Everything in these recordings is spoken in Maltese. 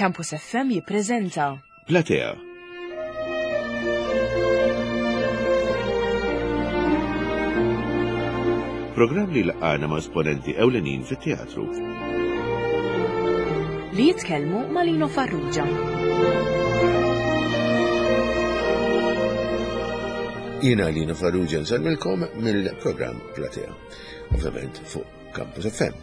Campus FM jippreżenta. Platea. Programm li laqgħana ma' esponenti ewlenin fit-teatru. Li jitkellmu ma' Lino Farrugia. Jiena Lino Farrugia nsellmilkom mill-programm Platea. Ovvjament fuq Campus FM.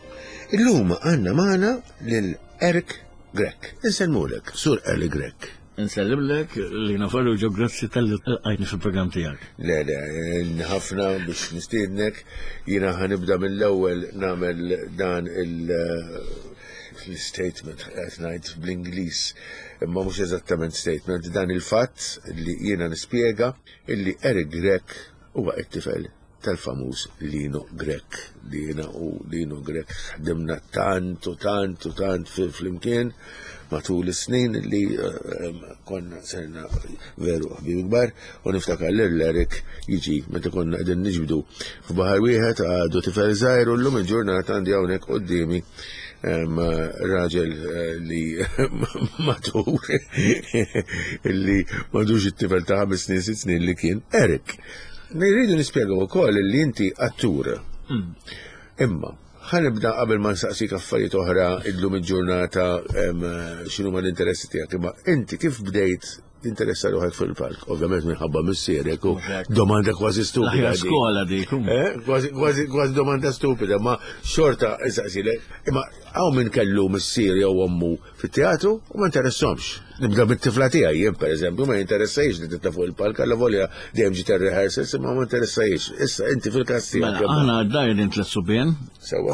Illum għandna magħna lil Eric Grech. Insellmulek, Sur Eric Grech. Insellimlek li nafarru ġo grazzi tal-li għajni fil-program tijak. Le, le, ħafna biex nistiednek, jina ħanibda mill-ewwel namel dan il- statement qed ngħid bl-Ingliż, imma mhux eżattament statement, dan il-fatt li jiena nispjega illi Eric Grech huwa t-tifel tal-famuż Lino Grech li jiena u Lino Grech ħdimna tant u tant u tant flimkien matul is-snin li eh, konna serna veru ħbib kbar u niftakar lil Eric jiġi meta konna qegħdin niġbdu f'baħar wieħed għadu tifel żgħir u llum il-ġurnata għandi hawnhekk quddiemi raġel eh, li matur li madux it-tifel ta' ħames snin sitt snin li kien Eric. Nirridu nispjegaw ukoll li inti attur. Hmm. Imma, ħanibda qabel ma nsaqsik affarijiet oħra illum il-ġurnata x'inhu ma l-interessi tiegħek, imma inti kif bdejt tinteressa ruħek fil-palk? Ovvjament minħabba missierek u domanda kważi stupida. Skola dik. Eh? Kważi kważi domanda stupida, ma xorta insaqsilek. Imma hawn min kellu missier jew ommu fit-teatru u ma interessomx. Nibda bit-tifla tiegħi jien pereżempju ma jinteressajx li titla' fuq il-palk alla volja dejjem ġiet ir-rehearsals imma ma interessajx. Issa inti fil-każ tiegħek. Mela, aħna d-dar din tliet subien,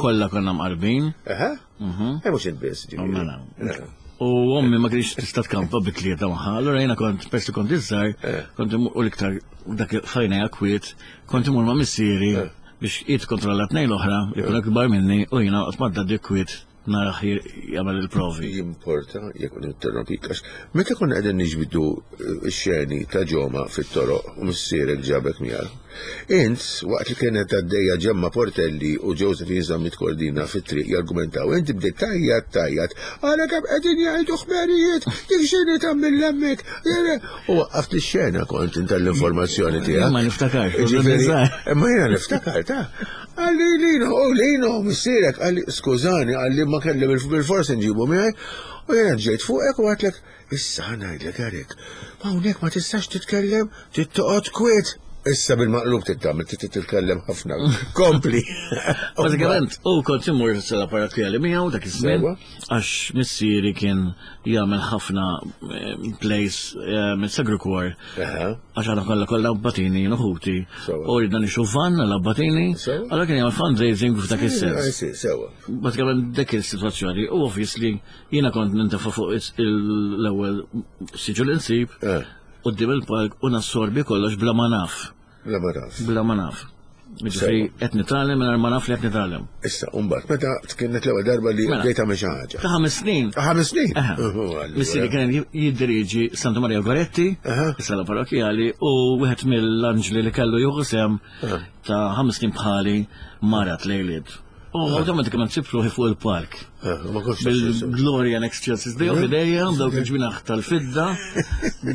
kollha konna mqarbin. Aha. Mhm. Eh mhux int biss ġifieri. Mela. eh. U ommi ma kienx tista' tkampa bi tlieta magħha, allura jiena kont persi kont iżgħar, eh. kont u l-iktar dak fajna kwiet, kont imur ma' missieri eh. biex jitkontrolla tnejn l-oħra, li kienu kbar minni u jiena qatt ma kwiet narah jagħmel il-provi. Jimporta jekk ninterrompik għax meta konna qegħdin niġbdu eh, x-xeni ta' ġoma fit-toroq u missierek ġabek miegħu. Int waqt li kienet għaddejja Ġemma Portelli u Josephine Zammit Cordina fit-triq jargumentaw, inti bdejt tajjat tajjat, għara kemm qegħdin jgħidu ħmerijiet, dik xini tagħmel hemmhekk. U waqqaft ix-xena kont inta l-informazzjoni tiegħek. Ma niftakarx. Imma jiena niftakar ta' Għalli Lino, oh Lino, missierek, għalli skużani, għalli ma kelli bil-fors nġibu miegħi, u jiena ġejt fuqek u għatlek, issa ngħidlek Erik, ma hawnhekk ma tistax titkellem, tittoqgħod kwiet. Issa bil-maqlub tittamil, titkellem ħafna. Kompli. Bażikament, u kont immur sala parrokkjali miegħu dak iż-żmien, għax missieri kien jagħmel ħafna eh, plays eh, mis-Sagru Kor Għax aħna kollha kollha abbatini jien uħuti. U ridna nixu van għal abbatini. Allora kien jagħmel fundraising f'dak is-sens. Bażikament dik is-sitwazzjoni. U obviously jiena kont nintefa' fuq l-ewwel siġu li nsib eh. quddiem il-palk u nassorbi kollox bla ma naf. Bla ma naf. Bla ma naf. Ġifri, qed nitgħallem mingħajr ma naf li qed nitgħallem. Issa, mbagħad meta kienet l-ewwel darba li mela. bdejt tagħmel xi ħaġa. Ta' ħames snin. Ta' ħames snin. Missieri kien jiddiriġi Santa Maria Goretti, is-sala parrokjali, u wieħed mill-anġli li kellu jieħu sem ta' ħames snin bħali marat lejliet. U automatikament sibt ruħi fuq il-park. Eh, Bil-Gloria Next Chelsea Day of idejja, dawk il-ġbinaħ tal-fidda,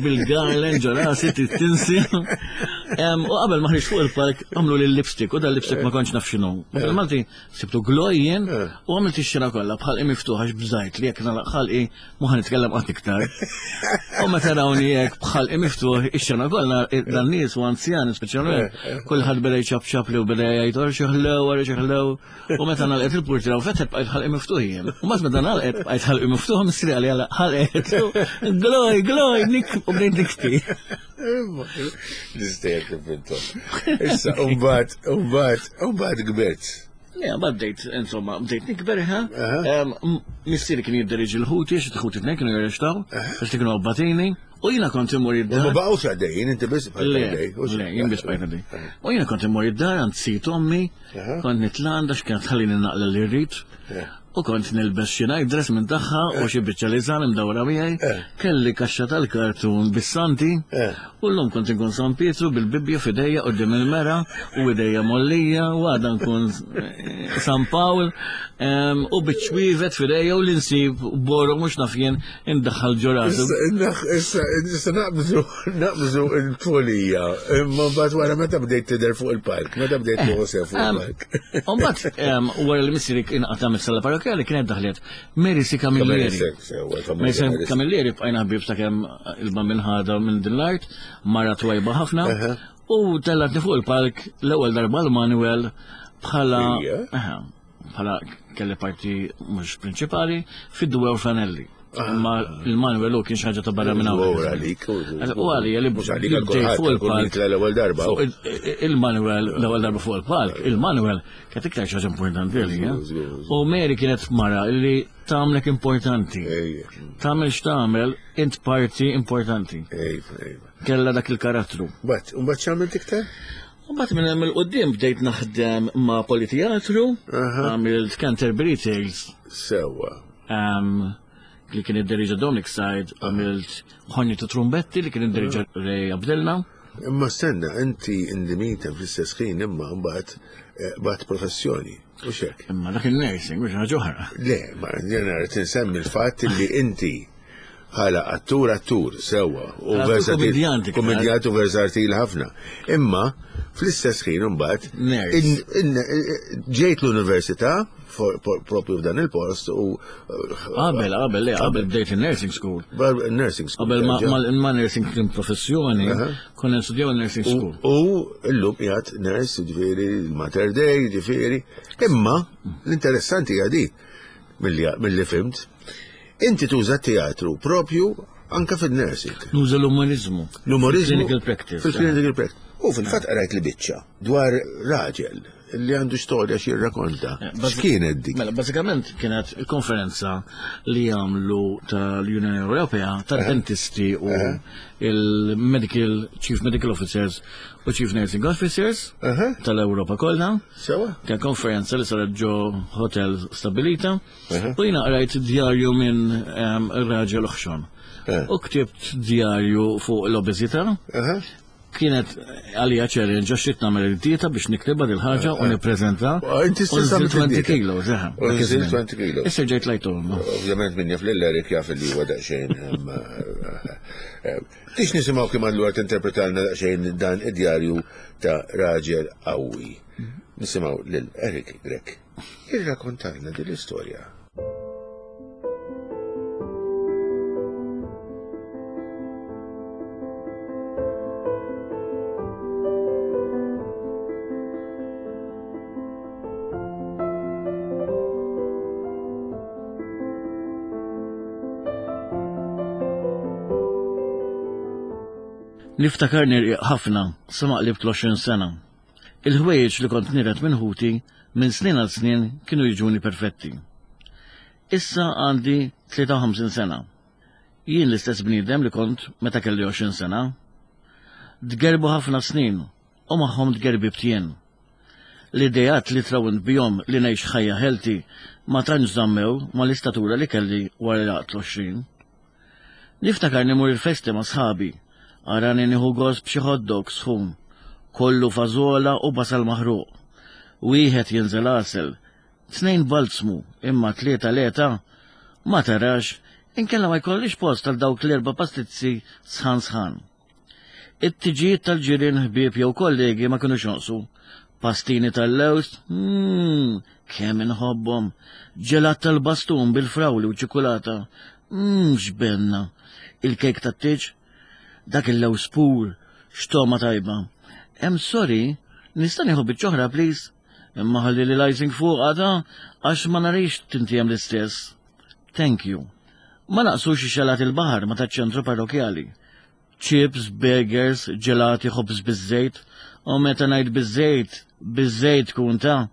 bil-garland ġorasi, tinsi. U qabel ma ħriġ fuq il-park, għamlu li lipstick, u dal-lipstick ma kontx naf x'inhu. Eh. Bil-Malti sibtu glojjen eh. u għamilt ix-xena kollha bħal miftuħ għax bżajt li jekk nagħlaq ħalqi ma ħa nitkellem qatt iktar. U meta rawni hekk bħal miftuħ ix-xena kollha dan nies u anzjani speċjalment, kulħadd beda jċapċap li u beda jgħid xi ħlew, wara xi ħlew. U meta nagħlqet il-purtira u fetħet bqajt ħalqi miftuħ jien. U mbagħad meta nagħlqet bqajt ħalqi miftuħ missieri qalli għala ħalqet. Gloj, gloj, nik u bdejt nikti. Nistejjer kif intom. Issa, mbagħad, mbagħad, mbagħad kbirt. Le, mbagħad bdejt, insomma, bdejt nikber ha. Missieri kien jidderiġi l-ħuti, xi ħuti tnejn kienu jirrextaw, għax kienu abbatini. U jiena kont immur id-dar. Ma baqgħux għaddejjin, inti biss bqajt għaddej. Le, jien biss bqajt għaddej. U jiena kont immur id-dar għand sit ommi, kont nitla' għandha x'kienet tħallini naqla li rrid. U kont nilbes xi night dress minn tagħha u xi biċċa liżan imdawra miegħi. Kelli kaxxa tal-kartun bis-santi. U llum kont inkun San Pietru bil-Bibbja f'idejja quddiem il-mera u idejja mgħollija u għada nkun San Pawl u biċ-ċwievet f'idejja u li nsib borok mhux naf jien indaħħal ġo rasu. Issa issa naqbżu naqbżu l-tfulija imma mbagħad wara meta bdejt tidher fuq il-palk, meta bdejt tieħu sehem fuq il-palk. U mbagħad wara li missieri inqata' mis-sala parrokkjali kienet daħlet Mary C. Camilleri. Mary C. Camilleri bqajna ħbieb sakemm il-bambin ħadha minn din l-art, mara twajba ħafna, u tellatni fuq il-palk l-ewwel darba l-Manuel bħala bħala kelli parti mhux prinċipali fid-Dwew Fanelli. Imma il-Manuel hu kien xi ħaġa ta' barra minn hawn. għalik. U għalija li mhux għalik fuq il-palk. L-ewwel darba. Il-Manuel l-ewwel darba fuq il-palk, il-Manuel kienet iktar xi ħaġa importanti għalija. U Mary kienet mara li tagħmlek importanti. Tagħmel x'tagħmel, int parti importanti. Kella dak il-karattru. Bat, u mbagħad x'għamilt iktar? Mbagħad minn hemm il-qudiem bdejt naħdem ma' Politeatru, għamilt Canterbury Tales. Sewwa. Li kien id-deriġa Dominic Said, għamilt Ħonju ta' Trumbetti li kien id-deriġa Ray Abdilla. Imma stenna, inti indimita fl-istess ħin imma mbagħad eh, bat professjoni, u xek. Imma dak il-nursing, mhux ħaġa oħra. Le, ma jena rrid insemmi l-fatt li inti bħala attur attur sewwa u versatil. Kommedjant u versatil ħafna. Imma fl-istess ħin imbagħad ġejt l-università propju f'dan il-post u Qabel, qabel, le, qabel bdejt il-nursing school. Nursing school. Qabel ma nursing kien professjoni, konna nstudjaw il-nursing school. U llum qiegħed nurse, ġifieri, Mater Dei, ġifieri. Imma l-interessanti hija di milli fimt, inti tuża teatru propju anka fil-nursing. Nuża l-umorizmu. L-umorizmu. Clinical practice. Fil-clinical practice. U fil-fatt qrajt li biċċa dwar raġel li għandu storja xi jirrakonta. Eh, X'kienet dik? Mela, bażikament kienet il-konferenza li għamlu tal-Unjoni Ewropea tal-dentisti u eh. il-Medical Chief Medical Officers u Chief Nursing Officers tal-Ewropa kollha. Sewa. Kien konferenza li saret ġo hotel stabilita. U jiena qrajt djarju minn ehm, raġel oħxon. Eh. U ktibt djarju fuq l-obeżità. Kienet għalija challenge għax ridt nagħmel id-dieta biex niktibha dil ħaġa u nippreżenta. Inti stess għamilt 20 kilos, eħe. U nżilt 20 kilos. Issa ġejt lajthom. Ovvjament min jaf lil Eric jaf li huwa daqsxejn. Tix nisimgħu kemm allura tinterpretalna daqsxejn dan id-djarju ta' raġel qawwi. Nisimgħu lil Eric Grech. Irrakontalna din l-istorja. Niftakarni rqiq ħafna sa ma qlibt l-20 sena. Il-ħwejjeġ li kont niret minn ħuti minn snin għal snin kienu jiġuni perfetti. Issa għandi 53 sena. Jien l-istess bniedem li kont meta kelli 20 sena. Tgerbu ħafna snin u magħhom tgerbibt jien. L-ideat li trawwimt bihom li ngħix ħajja healthy ma tantx żammew mal-istatura li kelli wara li għaqdt l-20. Niftakarni mmur il-festi ma' sħabi. Arani nieħu gost b'xi hot dog sħun, kollu fażola u basal maħruq. Wieħed jinżel għasel, tnejn balzmu, imma tlieta le ta'. Ma tarax, inkella ma jkollix post għal dawk l-erba' pastizzi sħan sħan. It-tiġijiet tal-ġirien ħbieb jew kollegi ma kinux jonqsu. Pastini tal-lewż, mmm, kemm inħobbhom. Ġelat tal-bastun bil-frawli u ċikulata, mmm, x'benna. Il-kejk tat-tieġ, dak il-lewż pur, x'togħma tajba. Hemm sorry, nista' nieħu biċċa oħra please? Imma ħalli li l-icing fuq għada għax ma narix tintijem l-istess. Thank you. Ma naqsux ix-xalat il-baħar ma taċ-ċentru parrokjali. Chips, burgers, ġelati, ħobż biż-żejt. U meta ngħid biż-żejt, biż-żejt tkun ta'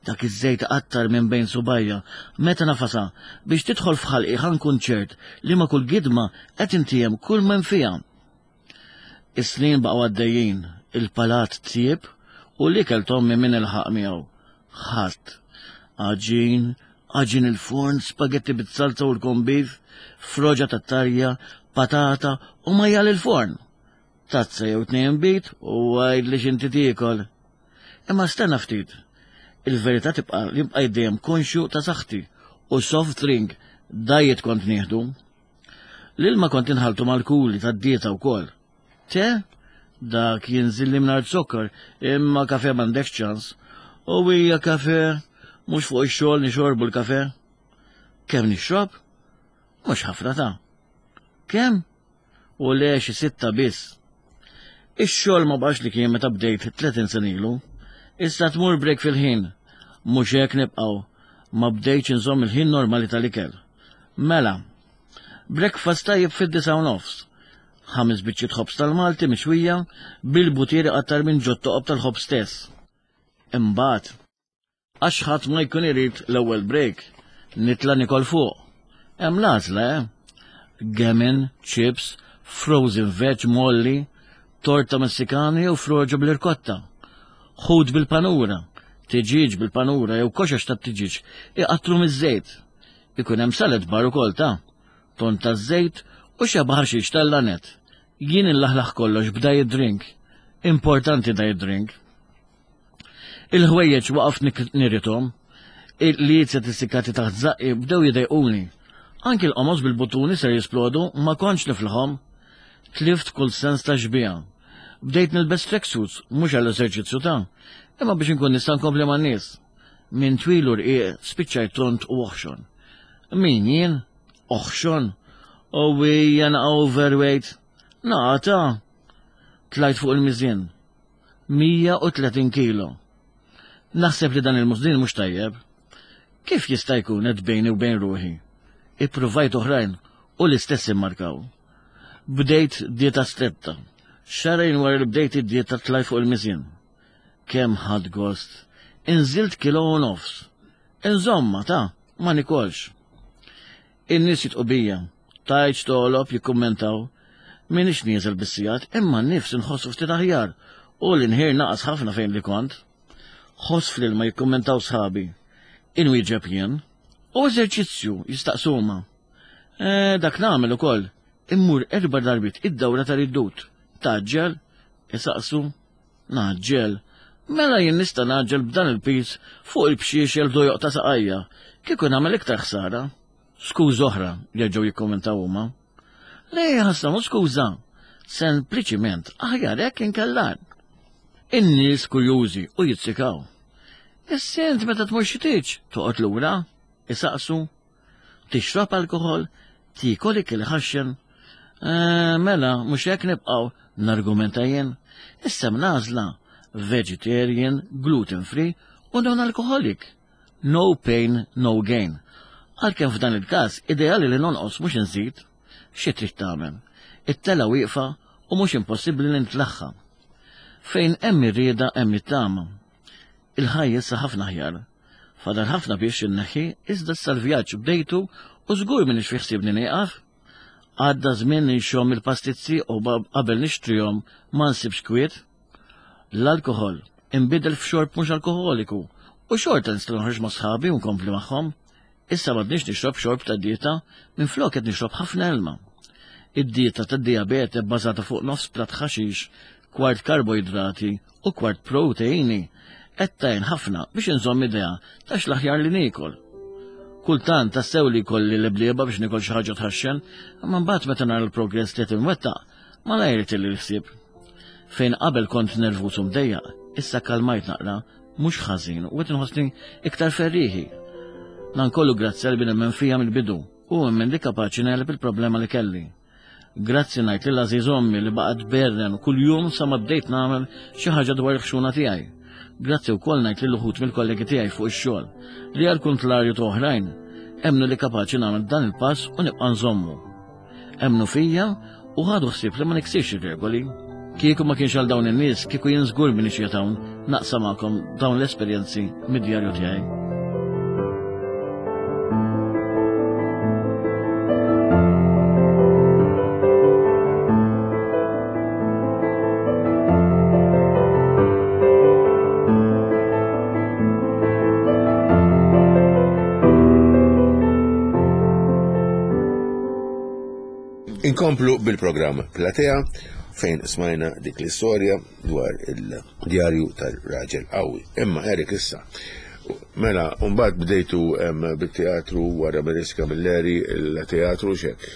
dak iż-żejt qattar minn bejn subajja. Meta nafasa biex tidħol f'ħalqi ħa nkun ċert li ma' kull gidma qed intiegħem kull m'hemm fiha. Is-snin baqgħu għaddejjin, il-palat tjieb u l-ikel t'ommi min ilħaq miegħu? Ħadd. Għaġin, Għaġin il-forn, spagetti bit-salza u l-kombif, froġa tat-tarja, patata u majjal il-forn. Tazza jew tnejn bit u għajd li xinti tiekol. Imma stenna ftit. Il-verità tibqa' li nbqajt dejjem konxju ta' saħħti u soft drink diet kont nieħdu. L-ilma kont inħaltu mal-kuli tad-dieta wkoll. Te? Dak jinżilli mingħajr zokkor, imma kafe m'għandekx ċans. U hija kafe, mhux fuq ix-xogħol nixorbu l-kafe. Kemm nixrob? Mhux ħafna ta'. Kemm? U le xi sitta biss. Ix-xogħol ma baqax li kien meta bdejt 30 sena ilu. Issa tmur break fil-ħin. Mhux hekk nibqgħu. Ma bdejtx inżomm il-ħin normali tal-ikel. Mela, breakfast tajjeb fid-9:30. Ħames biċċiet ħobż tal-Malti mixwija bil-butir iqattar minn ġot-toqob tal-ħobż stess. Imbagħad, għax ħadd ma jkun irid l-ewwel break, nitla' nikol fuq. Hemm l-għażla, eh? Gammon, chips, frozen veg molli, torta Messikana jew froġa bl-irkotta. Ħut bil-panura, tiġieġ bil-panura jew koxox tat-tiġieġ iqattru miż-żejt. Ikun hemm salad bar ukoll ta' ton taż-żejt u xeba ħaxix tal-lanet. Jien inlaħlaħ kollox b'diet drink. Importanti diet drink. Il-ħwejjeġ waqaft nirithom. Il-qliezet issikkati taħt żaqqi bdew jidejquni. Anki l-qomos bil-buttuni ser jisplodu ma kontx niflħhom. Tlift kull sens ta' xbieha. Bdejt nilbes tracksuits mhux għall-eżerċizzju ta' imma biex inkun nista' nkompli man-nies. Minn twil u rqiq spiċċajt tond u oħxon. Min jien? Oħxon? U hija naqa' overweight? Naqa' ta'! Tlajt fuq il-miżien. 130 kilo. Naħseb li dan il-musdin mhux tajjeb. Kif jista' jkun qed bejni u bejn ruħi? Ippruvajt oħrajn u l-istess immarkaw. Bdejt dieta stretta. Xahrejn wara li bdejt id-dieta tlajt fuq il-miżien. Kemm ħadt gost. Inżilt kilo u nofs. Inżomma, ta, ma nikolx. In-nies jitqu bija. Tgħidx togħlob jikkummentaw. M'iniex nieżel bis-sigħat, imma n-nifs inħossu ftit aħjar u l-inħir naqas ħafna fejn li kont. Ħoss fl-ilma jikkummentaw sħabi. Inwieġeb jien. U eżerċizzju jistaqsu huma. Eh, dak nagħmel ukoll. Immur erba' darbiet id-dawra tal-iddut. Tgħaġġel? Isaqsu. Ngħaġġel? Mela jien nista' ngħaġġel b'dan il-piż fuq il-bxiexel dojoq ta' saqajja, kieku nagħmel iktar ħsara. Skuża oħra, jerġgħu jikkummentaw huma. Le, ħassa mhux skuża. Sempliċiment aħjar hekk inkella. In-nies kurjużi u jizzikaw. Issa int meta tmur xi tieġ, toqgħod lura, isaqsu. Tixrob alkoħol? Tiekol ikel iħaxxen? Eh, mela, mhux hekk nibqgħu, nargumenta jien. Issa hemm l-għażla, vegetarian, gluten free u non-alcoholic. No pain, no gain. Għalkemm f'dan il-każ ideali li nonqos mhux inżid. Xi trid tagħmel? It-telgħa wieqfa u mhux impossibbli li nitlaħħa. Fejn hemm ir-rieda hemm it-tama. Il-ħajja issa ħafna aħjar. Fadal ħafna biex inneħħi, iżda issa l-vjaġġ bdejtu u żgur m'iniex fi ħsiebni nieqaf. Għadda żmien li nxomm il-pastizzi u qabel nixtrihom ma nsibx kwiet. L-alkoħol inbidel f'xorb mhux alkoħoliku u xorta nista' noħroġ ma' sħabi u nkompli magħhom. Issa m'għadniex nixrob xorb ta' dieta, minflok qed nixrob ħafna ilma. Id-dieta tad-dijabete bbażata fuq nofs platt ħaxix, kwart karboidrati u kwart proteini qed tgħin ħafna biex inżomm idea ta' x'l-aħjar li niekol. Kultant tassew li jkolli l-eblieba biex nikol xi ħaġa tħaxxen, imma mbagħad meta nara l-progress li qed inwettaq, malajr itilli l-ħsieb. Fejn qabel kont nervuż u mdejjaq, issa kalmajt naqra, mhux ħażin u qed inħossni iktar ferrieħi. Dan kollu grazzi għal li nemmen fija mill-bidu u emmen li kapaċi negħleb il-problema li kelli. Grazzi ngħid lil għażiż ommi li baqgħet tberren kuljum sa ma bdejt nagħmel xi ħaġa dwar il-ħxuna tiegħi. Grazzi wkoll ngħid lil uħud mill-kollegi tiegħi fuq ix-xogħol li għal kuntlarju ta' oħrajn emmnu li kapaċi nagħmel dan il-pass u nibqa' nżommu. Emmnu fija u ħadu ħsieb li ma niksirx ir-regoli. Kieku ma kienx għal dawn in-nies, kieku jien żgur m'iniex qiegħed hawn naqsam magħkom dawn l-esperjenzi mid-djarju tiegħi. Inkomplu bil-programm Platea fejn smajna dik l-istorja dwar il-djarju tal-raġel qawwi. Imma Eric issa, mela mbagħad bdejtu bit-teatru wara Maurice Camilleri il-teatru xek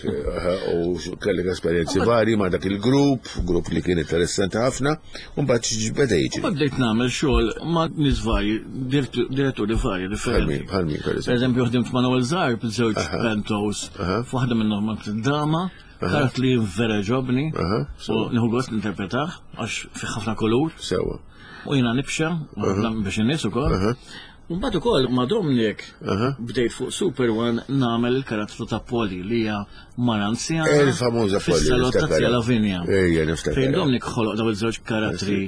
u kellek esperjenzi vari ma' dak il-grupp, grupp li kien interessanti ħafna, u mbagħad x'beda jiġri. Mbagħad bdejt nagħmel xogħol ma' nies varji, diretturi varji differenti. Bħal min, per eżempju. Eżempju ħdimt ma' Noel Zarb, żewġ pentos, f'waħda minnhom ma' drama, karat li vera ġobni, u nieħu gost ninterpretah għax fi ħafna kulur. Sewa. U jiena nibxa, biex in-nies ukoll. U mbagħad ukoll ma' Dominic bdejt fuq Super One nagħmel il-karattru ta' Polly li hija mara anzjana. Il-famuża Polly. Fis-salott ta' Zia Lavinia. Ejja, niftakar. Fejn Dominic ħoloq daw iż-żewġ karattri,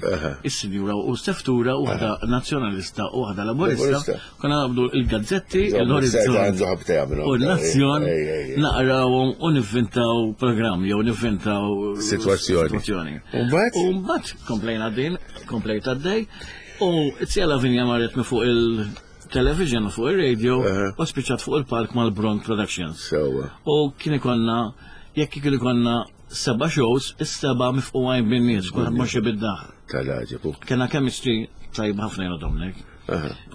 is-sinjura u Seftura, waħda nazzjonalista u waħda laburista. Konna naqbdu il-gazzetti, l-Orizzont u n-Nazzjon, naqrawhom u nivvintaw programm jew nivvintaw sitwazzjoni. U mbagħad komplejna din, komplejt għaddej. U Zia Lavinia marret minn fuq il-television u fuq il-radio u spiċċat fuq il-palk mal-Bronk Productions. U kien ikonna, jekk kien ikonna seba' shows, is-seba' mifqugħin bin-nies, kulħadd mhux bid-daħ. Tal-għaġeb. Kena chemistry tajb ħafna jiena Dominic.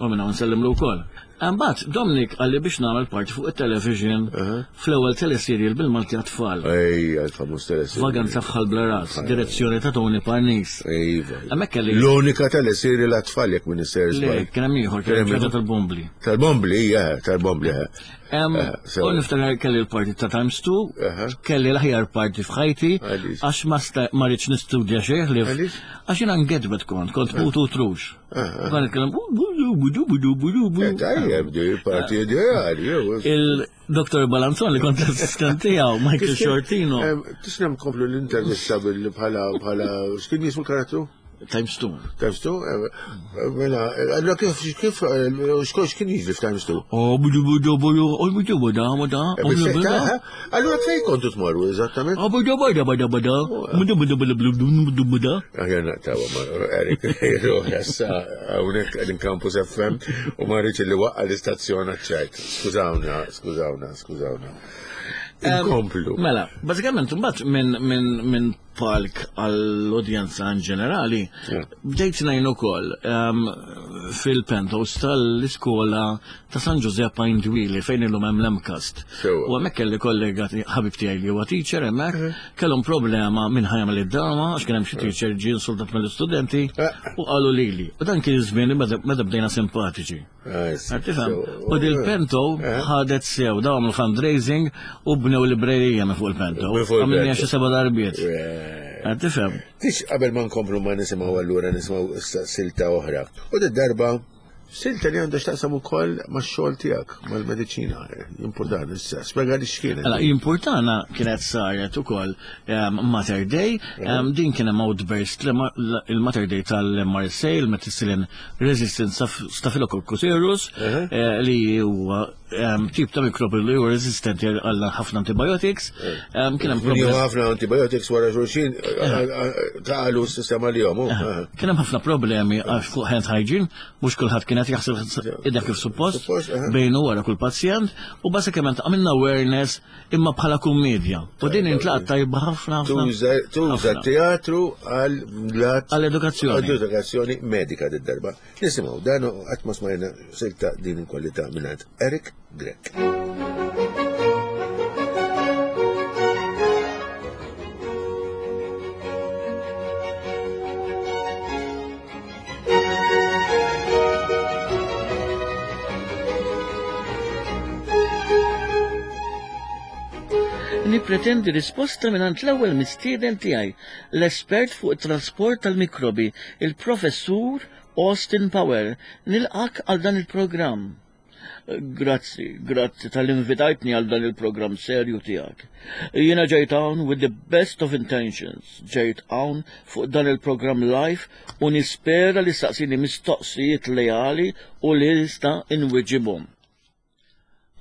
U minna nsellimlu wkoll. Imbagħad Dominic qalli biex nagħmel parti fuq it-television fl-ewwel teleserial bil-Malti għat-tfal. Ejja, il-famuż teleserial. Vaganza f'Ħal Blaras, direzzjoni ta' Tony Parnis. Iva. Hemmhekk kelli. L-unika teleserial għat-tfal jekk minn isser Le, kien hemm ieħor, kien hemm ċerta tal-Bombli. Tal-Bombli, ija, tal-Bombli, U niftakar kelli l-parti ta' Times 2, kelli l-aħjar parti f'ħajti, għax ma rridx nistudja xejn li għax jiena ngedbet kont, kont mutu trux. Għan nitkellem budu budu budu budu budu. Tajjeb, di parti ideali. Il-Dr. Balanzon li kont assistent tiegħu, Michael Shortino. Tisnem komplu l-intervista bil bħala bħala x'kien jismu l-karattru? Times 2. Times 2? Mela, allora kif, kif, xkien jiġri f'Times 2? Oh, budu budu budu, oh, budu budu, budu, budu, budu. Allora fejn kontu tmorru eżattament? Oh, budu budu budu budu, budu budu budu budu budu budu. Aħjar naqtawa ma' Eric, ruħ issa hawnhekk qegħdin Campus FM u ma rridx li waqqa l-istazzjon għaċ-ċajt. Skużawna, skużawna, skużawna. Inkomplu. Mela, bażikament imbagħad minn minn minn palk għall-udjenza in ġenerali, bdejt ngħin ukoll ehm, fil-penthouse tal-iskola ta' San Giuseppe Indwili fejn illum hemm l-MCAST. U hemmhekk kelli kollega ħabib tiegħi li huwa teacher hemmhekk, mhm. kellhom problema minn ħajja id-dama għax kien hemm xi mhm. teacher ġie insultat mill-istudenti eh. u qalu lili. U dan kien iż-żmien meta bdejna simpatiċi. Tifhem? U dil-pento ħadet sew, daw għamlu fundraising u bnew librerija minn fuq il-pento. Għamilni xi seba' darbiet. Tifhem? Tix qabel ma nkomplu ma nisimgħu allura nisimgħu silta oħra. U darba silta li għandha x'taqsam ukoll max-xogħol tiegħek, mal-mediċina. Importana issa, spjega li x'kienet. Mela, importana kienet saret ukoll ehm, Mater Day, ehm, din kien hemm outburst il-Mater Day tal-MRSA, il-Methicillin Resistant Staphylococcus aureus, eh, li huwa ehm, tip ta' mikrobi li huwa resistenti għal ħafna antibiotics. Eh. Ehm, kien hemm problemi. ħafna antibiotics wara xulxin eh, taqalu s-sistema li jom. Kien hemm ħafna problemi għax fuq hand hygiene, mhux kulħadd kienet jaħseb idek kif suppost bejnu wara kull pazjent u basikament għamilna awareness imma bħala kummedja. U din intlaqat tajba ħafna ħafna. Tuża teatru għal għall-edukazzjoni. Għall-edukazzjoni medika d-darba. Nisimgħu dan qatt ma smajna silta din il-kwalità mingħand Eric Grech. Nippretendi risposta mingħand l-ewwel mistieden tiegħi, l-espert fuq it-trasport tal-mikrobi, il-Professur Austin Power. Nilqak għal dan il-programm. Grazzi, grazzi tal invitajtni għal dan il-programm serju tiegħek. Jiena ġejt hawn with the best of intentions, ġejt hawn fuq dan il-programm live u nispera li saqsini mistoqsijiet leali u li nista' inwiġibhom.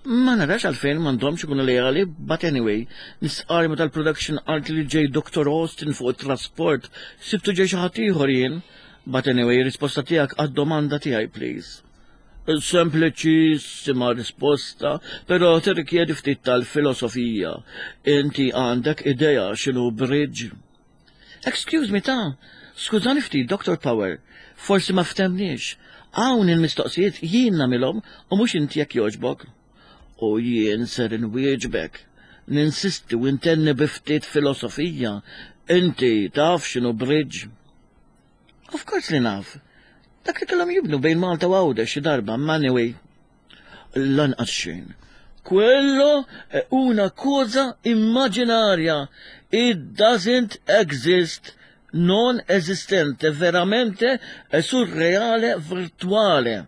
Ma narax għalfejn m'għandhomx ikunu leali, but anyway, nistqarr meta l-production qalt li ġej Dr. Austin fuq it-trasport, sibtu ġej xi ħadd ieħor jien. But anyway, risposta tiegħek għad-domanda tiegħi please. Sempliċissima risposta, però tirrikjedi ftit tal-filosofija. Inti għandek idea x'inhu bridge? Excuse me ta, skużani ftit, Dr. Power, forsi ma ftemniex. Hawn il-mistoqsijiet jien nagħmilhom u mhux inti jekk jogħġbok. U jien ser inwieġbek. Ninsisti u intenni bi ftit filosofija. Inti taf x'inhu bridge? Of course li naf. Dak li kellhom jibnu bejn Malta u Għawdex xi darba, ma anyway. Lanqas xejn. Quello è una cosa immaginaria. It doesn't exist. Non esistente, veramente è surreale, virtuale.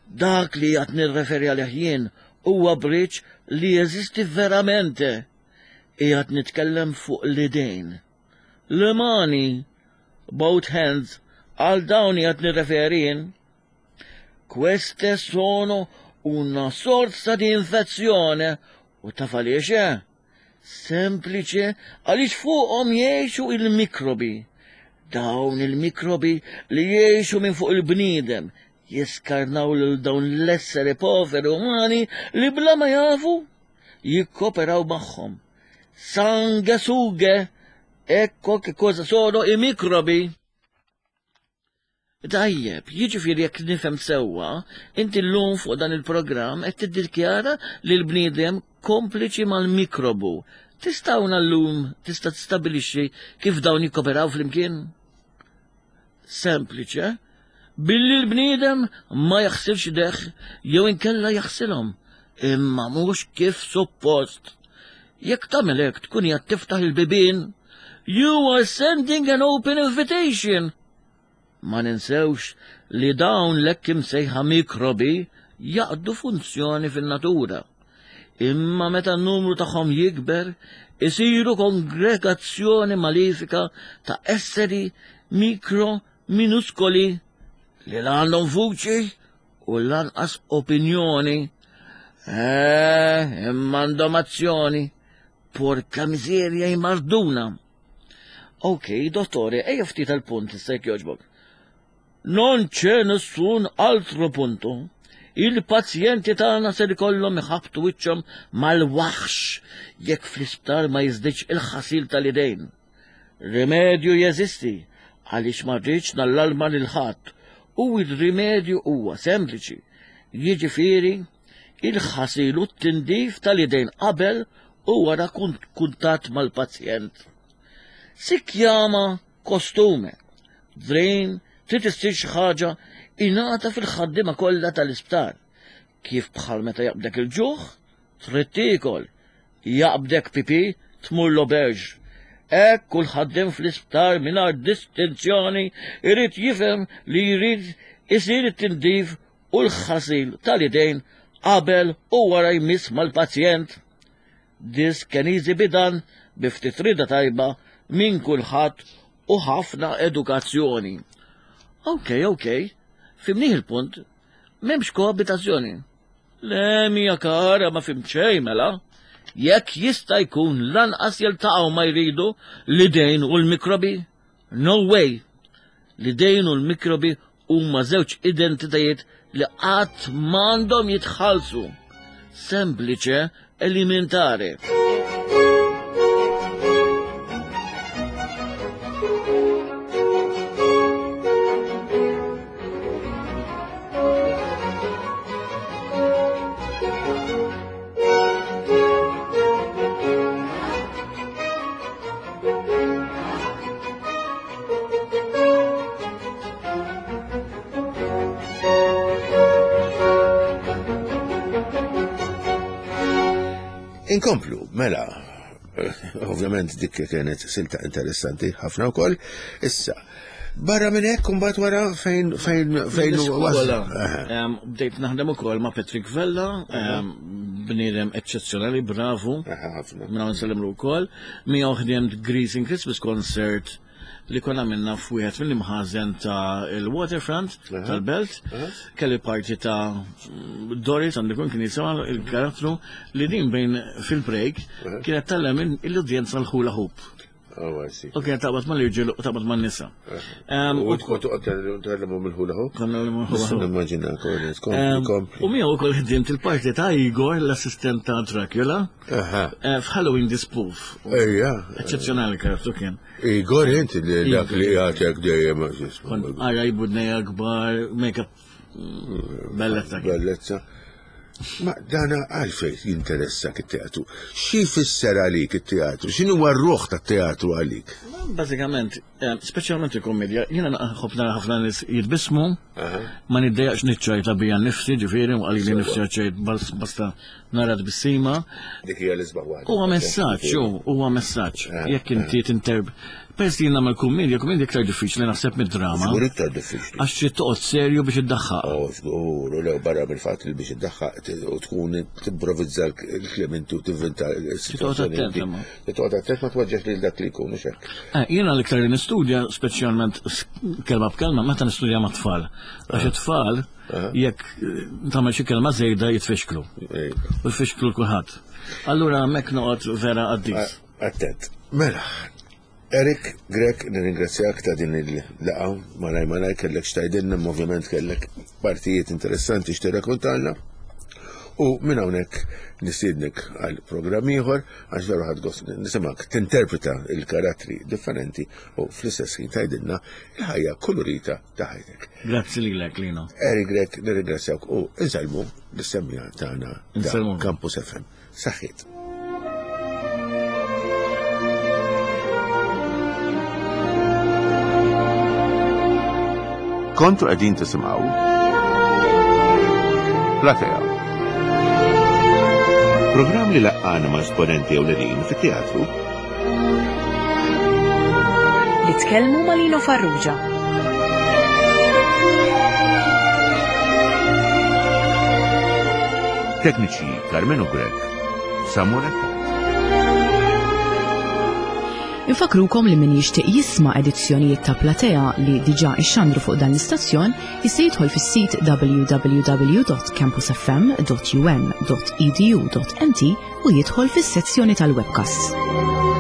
Dak li qed nirreferi għalih jien huwa bridge li jeżisti veramente. Qiegħed nitkellem fuq l-idejn. Le mani, both hands, għal dawn qiegħed nirreferi jien. Queste sono una sorsa di infezzjone u taf għaliex eh? Sempliċe għaliex fuqhom jgħixu il-mikrobi. Dawn il-mikrobi li jgħixu minn fuq il-bniedem jiskarnaw lil dawn l-esseri poveri umani li bla ma jafu jikkoperaw magħhom. Sanguesughe, ecco che cosa sono i microbi. Tajjeb, jiġifieri jekk nifhem sewwa, inti llum fuq dan il-programm qed tiddikjara li l-bniedem kompliċi mal-mikrobu. Tista' hawn llum tista' tistabbilixxi kif dawn jikkoperaw flimkien? Sempliċi, eh? Billi l-bniedem ma jaħsilx idejh jew inkella jaħsilhom, imma mhux kif suppost. Jekk tagħmel hekk tkun qiegħed tiftaħ il-bibien. You are sending an open invitation. Ma ninsewx li dawn l-hekk imsejħa mikrobi jaqdu funzjoni fin-natura. Imma meta n-numru tagħhom jikber, isiru kongregazzjoni malifika ta' esseri mikro minuskoli li la għandhom vuċi u lanqas opinjoni. Eh, imma għandhom azzjoni. Porka miżerja jmarduna. Ok, dottore, ejja ftit għal-punt issa jekk jogħġbok. Non c'è nessun altro punto. Il-pazjenti tagħna ser ikollhom iħabbtu wiċċhom mal-waħx jekk fl-isptar ma jiżdiedx il-ħasil tal-idejn. Rimedju jeżisti għaliex ma rridx nallalma lil ħadd u r-rimedju huwa sempliċi. Jiġifieri il-ħasil u t-tindif tal-idejn qabel u wara kuntatt mal-pazjent. Si chiama costume. Drain trid issir xi ħaġa ingħata fil-ħaddiema kollha tal-isptar. Kif bħal meta jaqbdek il-ġuħ, trid tiekol. Jaqbdek pipi, tmur l-auberge. Hekk kull ħaddiem fl-isptar mingħajr distinzjoni jrid jifhem li jrid isir it-tindif u l-ħasil tal-idejn qabel u wara jmiss mal-pazjent. This can easy be done bi ftit rieda tajba minn kulħadd u ħafna edukazzjoni. Ok, ok, fimnih il-punt, m'hemmx koabitazzjoni. Le, mia cara, ma fimt xejn mela. Jekk jista' jkun lanqas jiltaqgħu ma jridu l-idejn u l-mikrobi? No way! L-idejn u l-mikrobi huma żewġ identitajiet li qatt m'għandhom jitħallsu. Semplice elementare. Inkomplu, mela, ovvjament dik kienet silta interessanti ħafna wkoll. Issa, barra minn hekk imbagħad wara fejn fejn fejn Bdejt naħdem ukoll ma' Patrick Vella, bniedem eċċezzjonali, bravu. Minn hawn nsellimlu wkoll. Miegħu ħdimt Greasing Christmas Concert li konna minna f'wieħed mill-imħażen ta' il-waterfront tal-belt. Kelli parti ta' Doris għandu jkun kien jisimha il-karattru li din bejn fil-break kienet tallem l-udjenza l-hula hoop. Oh, I see. U kien taqbad mal-irġiel u taqbad man-nisa. U tkun toqgħod tgħallimhom il-hula hoop? Konna nagħmlu hula hoop. Nimmaġina kompli, kompli. U miegħu wkoll ħdimt il-parti ta' Igor, l-assistent ta' Dracula, eh, f'Halloween the Spoof. Ejja. Eċċezzjonali karattru kien. Igor inti li dak li jagħtek dejjem. Kont ara jbudnejja kbar, make-up mm, bellezza. kien. Bellezza. Ma dana għalfejn jinteressak it-teatru. Xi jfisser għalik it-teatru? X'inhu huwa r-ruħ tat-teatru għalik? Bażikament, eh, speċjalment il-komedja, jiena nħobb nara ħafna nies jitbissmu, ma niddejjaqx niċċajta bija nnifsi, ġifieri, u qalili nifsi għaċċajt basta nara tbissima. Dik hija l-isbaħ waħda. Huwa messaġġ, huwa messaġġ. Jekk inti tinterb. Peress li nagħmel kummedja, kummedja iktar diffiċli naħseb mid-drama. Żgur iktar diffiċli. Għax trid toqgħod serju biex iddaħħaq. Oh, żgur, u lew barra mill-fatt li biex iddaħħaq u tkun timprovizza l-kliem inti u tivvinta l-sitwazzjoni. Toqgħod attent. Toqgħod attent ma tweġġex lil dak li jkun mhux hekk. Eh, jiena l-iktar li nistudja, speċjalment kelma b'kelma, meta nistudja mat-tfal. Għax it-tfal jekk eh, tagħmel xi kelma żejda jitfixklu. U jfixklu kulħadd. Allura hemmhekk noqgħod vera qaddis. Attent. Mela, Eric Grech, nirringrazzjak ta' din il-laqgħa, malaj malaj kellek x'tgħidilna, imma ovvjament kellek partijiet interessanti x'tirrakontalna. U minn hawnhekk nistiednek għal programm ieħor għax veru ħadd gost nisimgħek tinterpreta il-karattri differenti u fl-istess ħin tgħidilna il-ħajja kulurita ta' ħajtek. Grazzi lilek, Lino. Eric Grech, nirringrazzjak u insellmu lis-semmiegħa tagħna ta' Campus FM. Saħħiet. Kontu qegħdin tisimgħu Platea. Programm li laqqana ma' esponenti ewlenin fit-teatru. Li tkellmu ma' Lino Farrugia. Tekniċi Carmenu Grech, Samuel Attard. Infakrukom li min jixtieq jisma' edizzjonijiet ta' Platea li diġà ixxandru fuq dan l-istazzjon jista' jidħol fis-sit www.campusfm.um.edu.mt u jidħol fis-sezzjoni tal-webcasts.